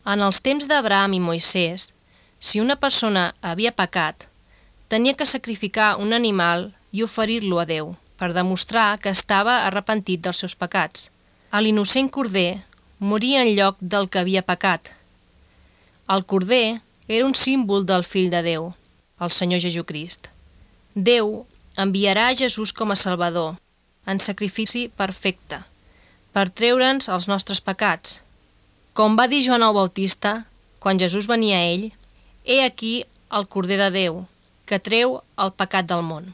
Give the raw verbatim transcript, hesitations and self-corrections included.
En els temps d'Abraham i Moisès, si una persona havia pecat, tenia que sacrificar un animal i oferir-lo a Déu per demostrar que estava arrepentit dels seus pecats. L'innocent corder moria en lloc del que havia pecat. El corder era un símbol del Fill de Déu, el Senyor Jesucrist. Déu enviarà a Jesús com a Salvador, en sacrifici perfecte, per treure'ns els nostres pecats. Com va dir Joan el Bautista, quan Jesús venia a ell, «He aquí el Corder de Déu, que treu el pecat del món».